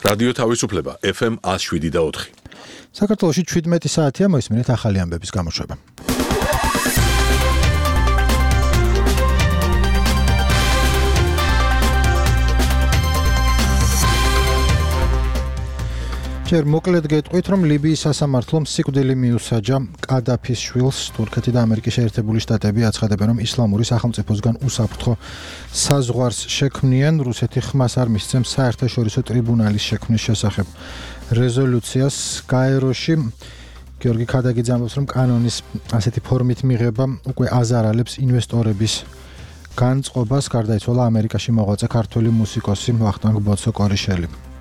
რადიო თავისუფლება FM 107.4. საქართველოში 17 საათია მოისმინეთ ახალი ამბების გამოშვება. ჯერ მოკლედ გეტყვით, რომ ლიბიის სასამართლომ სიკვდილი მიუსაჯა კადაფის შვილს. თურქეთი და ამერიკის შეერთებული შტატები აცხადებენ, რომ ისლამური სახელმწიფოსგან უსაფრთხო საზღვარს შექმნიან. რუსეთი ხმას არ მისცემს საერთაშორისო ტრიბუნალის შექმნის შესახებ რეზოლუციას გაეროში. გიორგი ქადაგიძე ამბობს, რომ კანონის ასეთი ფორმით მიღება უკვე აზარალებს ინვესტორების განწყობას. გარდაიცვალა ამერიკაში მოღვაწე ქართველი მუსიკოსი ვახტანგ ბოცოკორიშვილი.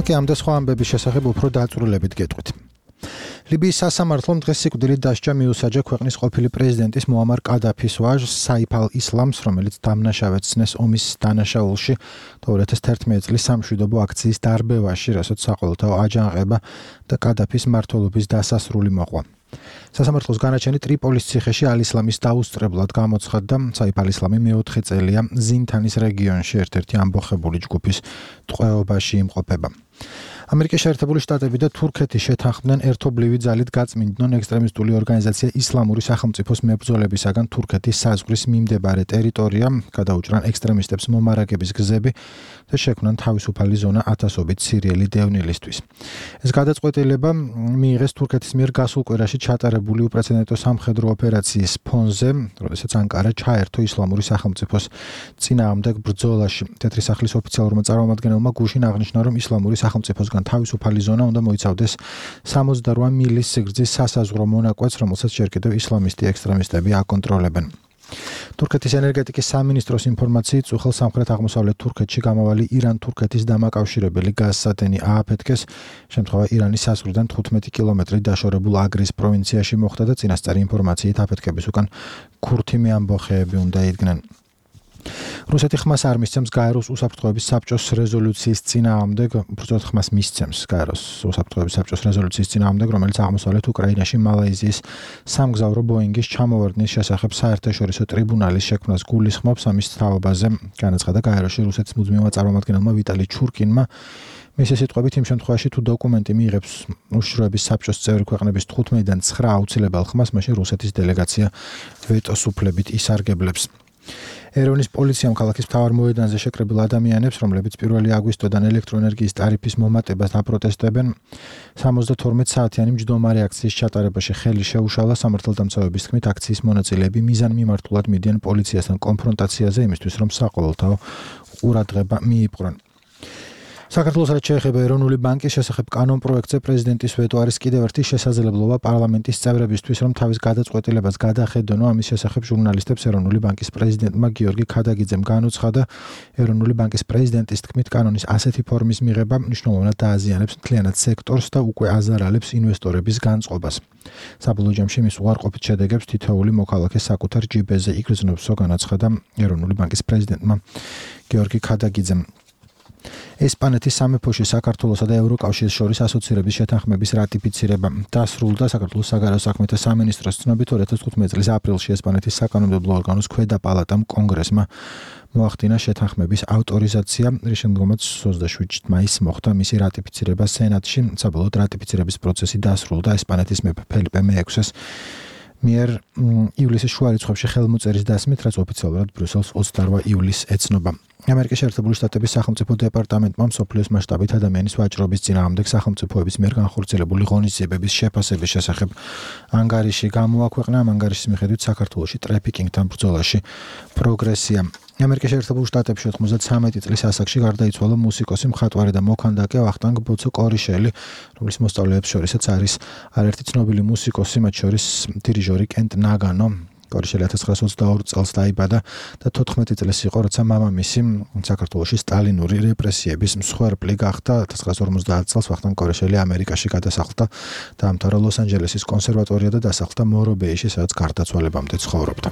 ამ და სხვა ამბების შესახებ უფრო დაწვრილებით გეტყვით. ლიბიის სასამართლომ დღეს სიკვდილით დასჯა მიუსაჯა ქვეყნის ყოფილი პრეზიდენტის მუამარ კადაფის ვაჟს საიფ ალ-ისლამს, რომელიც დამნაშავედ ცნეს ომის დანაშაულში 2011 წლის სამშვიდობო აქციის დარბევაში, რასაც საყოველთაო აჯანყება და კადაფის მმართველობის დასასრული მოყვა. სასამართლოს განაჩენი ტრიპოლის ციხეში ალ-ისლამის დაუსწრებლად გამოცხადდა. საიფ ალ-ისლამი მეოთხე წელია ზინთანის რეგიონში ერთ-ერთი ამბოხებული ჯგუფის ტყვეობაში იმყოფება. ამერიკის შეერთებული შტატები და თურქეთი შეთანხმდნენ ერთობლივი ძალით გაწმინდონ ექსტრემისტული ორგანიზაცია ისლამური სახელმწიფოს მებრძოლებისაგან თურქეთის საზღვრის მიმდებარე ტერიტორია, გადაუჭრან ექსტრემისტებს მომარაგების გზები და შექმნან თავისუფალი ზონა ათასობით სირიელი დევნილისთვის. ეს გადაწყვეტილება მიიღეს თურქეთის მიერ გასულ კვირაში ჩატარებული უპრეცედენტო სამხედრო ოპერაციის ფონზე, როდესაც ანკარა ჩაერთო ისლამური სახელმწიფოს წინააღმდეგ ბრძოლაში. თეთრი სახლის ოფიციალურმა წარმომადგენელმა გუშინ აღნიშნა, რომ ისლამური სახელმწიფოსგან თავისუფალი ზონა უნდა მოიცავდეს 68 მილის სიგრძის სასაზღვრო მონაკვეთს, რომელსაც ჯერ კიდევ ისლამისტი ექსტრემისტები აკონტროლებენ. თურქეთის ენერგეტიკის სამინისტროს ინფორმაციით, წუხელ სამხრეთ-აღმოსავლეთ თურქეთში გამავალი ირან-თურქეთის დამაკავშირებელი გაზსადენი ააფეთქეს. შემთხვევა ირანის საზღვრიდან 15 კილომეტრით დაშორებულ აგრის პროვინციაში მოხდა და წინასწარი ინფორმაციით აფეთქების უკან ქურთი მეამბოხეები უნდა იდგნენ. რუსეთი ხმას არ მისცემს გაეროს უსაფრთხოების საბჭოს რეზოლუციის წინააღმდეგ, უბრალოდ ხმას მისცემს გაეროს უსაფრთხოების საბჭოს რეზოლუციის წინააღმდეგ, რომელიც აღმოსავლეთ უკრაინაში მალაიზიის სამგზავრო ბოინგის ჩამოვარდნის შესახებ საერთაშორისო ტრიბუნალის შექმნას გულისხმობს. ამის თაობაზე განაცხადა გაეროში რუსეთის მუდმივმა წარმომადგენელმა ვიტალი ჩურკინმა. მისი სიტყვებით, იმ შემთხვევაში თუ დოკუმენტი მიიღებს უშიშროების საბჭოს წევრი ქვეყნების 15-დან 9 აუცილებელ ხმას, მაშინ რუსეთის დელეგაცია ვეტოს უფლებით ისარგებლებს. ერევნის პოლიციამ ქალაქის მთავარ მოედანზე შეკრებილ ადამიანებს, რომლებიც 1 აგვისტოდან ელექტროენერგიის ტარიფის მომატებას აპროტესტებენ, 72 საათიანი მჯდომარე აქციის ჩატარებაში ხელი შეუშალა. სამართალდამცავების თქმით, აქციის მონაწილეები მიზანმიმართულად მიდიან პოლიციასთან კონფრონტაციაზე, იმისთვის რომ საყოველთაო ყურადღება მიიპყრონ. საქართველოს რაც შეეხება ეროვნული ბანკის შესახებ კანონპროექტზე პრეზიდენტის ვეტო არის კიდევ ერთი შესაძლებლობა პარლამენტის წევრებისთვის, რომ თავის გადაწყვეტილებას გადახედონ. ამის შესახებ ჟურნალისტებს ეროვნული ბანკის პრეზიდენტმა გიორგი ქადაგიძემ განუცხადა. ეროვნული ბანკის პრეზიდენტის თქმით, კანონის ასეთი ფორმის მიღება მნიშვნელოვნად დააზიანებს მთლიანად სექტორს და უკვე აზარალებს ინვესტორების განწყობას. საბოლოო ჯამში მის უარყოფით შედეგებს თითოეული მოქალაქე საკუთარ ჯიბეზე იგრძნობსო, განაცხადა ეროვნული ბანკის პრეზიდენტმა გიორგი ქადაგიძემ. ესპანეთის სამეფოში საქართველოსა და ევროკავშირის შორის ასოცირების შეთანხმების რატიფიცირება დასრულდა. საქართველოს საგარეო საქმეთა სამინისტროს ცნობით 2015 წლის აპრილში ესპანეთის საკანონმდებლო ორგანოს ქვედა პალატამ კონგრესმა მოახდინა შეთანხმების ავტორიზაცია, რის შემდგომაც 27 მაისს მოხდა მისი რატიფიცირება სენატში. საბოლოოდ რატიფიცირების პროცესი დასრულდა ესპანეთის მეფე ფელიპე მე-6-ს მიერ ივლისის შუა რიცხვებში ხელმოწერის დასმით, რაც ოფიციალურად ბრიუსელს 28 ივლისს ეცნობა. ამერიკის შეერთებული შტატების სახელმწიფო დეპარტამენტმა მსოფლიოს მასშტაბით ადამიანის ვაჭრობის წინააღმდეგ სახელმწიფოების მიერ განხორციელებული ღონისძიებების შეფასების შესახებ ანგარიში გამოაქვეყნა. ამ ანგარიშის მიხედვით საქართველოში ტრაფიკინგთან ბრძოლაში პროგრესია. ამერიკის შეერთებულ შტატებში 93 წლის ასაკში გარდაიცვალა მუსიკოსი, მხატვარი და მოქანდაკე ვახტანგ ბოცოკორიშვილი, რომლის მოსწავლეებს შორისაც არის არაერთი ცნობილი მუსიკოსი, მათ შორის დირიჟორი კენტ ნაგანო. კორიშვილი 1922 წელს დაიბადა და 14 წლის იყო, როცა მამამისი საქართველოში სტალინური რეპრესიების მსხვერპლი გახდა. 1950 წელს ვახტანგ კორიშვილი ამერიკაში გადასახლდა, დაამთავრა ლოს-ანჯელესის კონსერვატორია და დასახლდა მორობეიში, სადაც გარდაცვალებამდე ცხოვრობდა.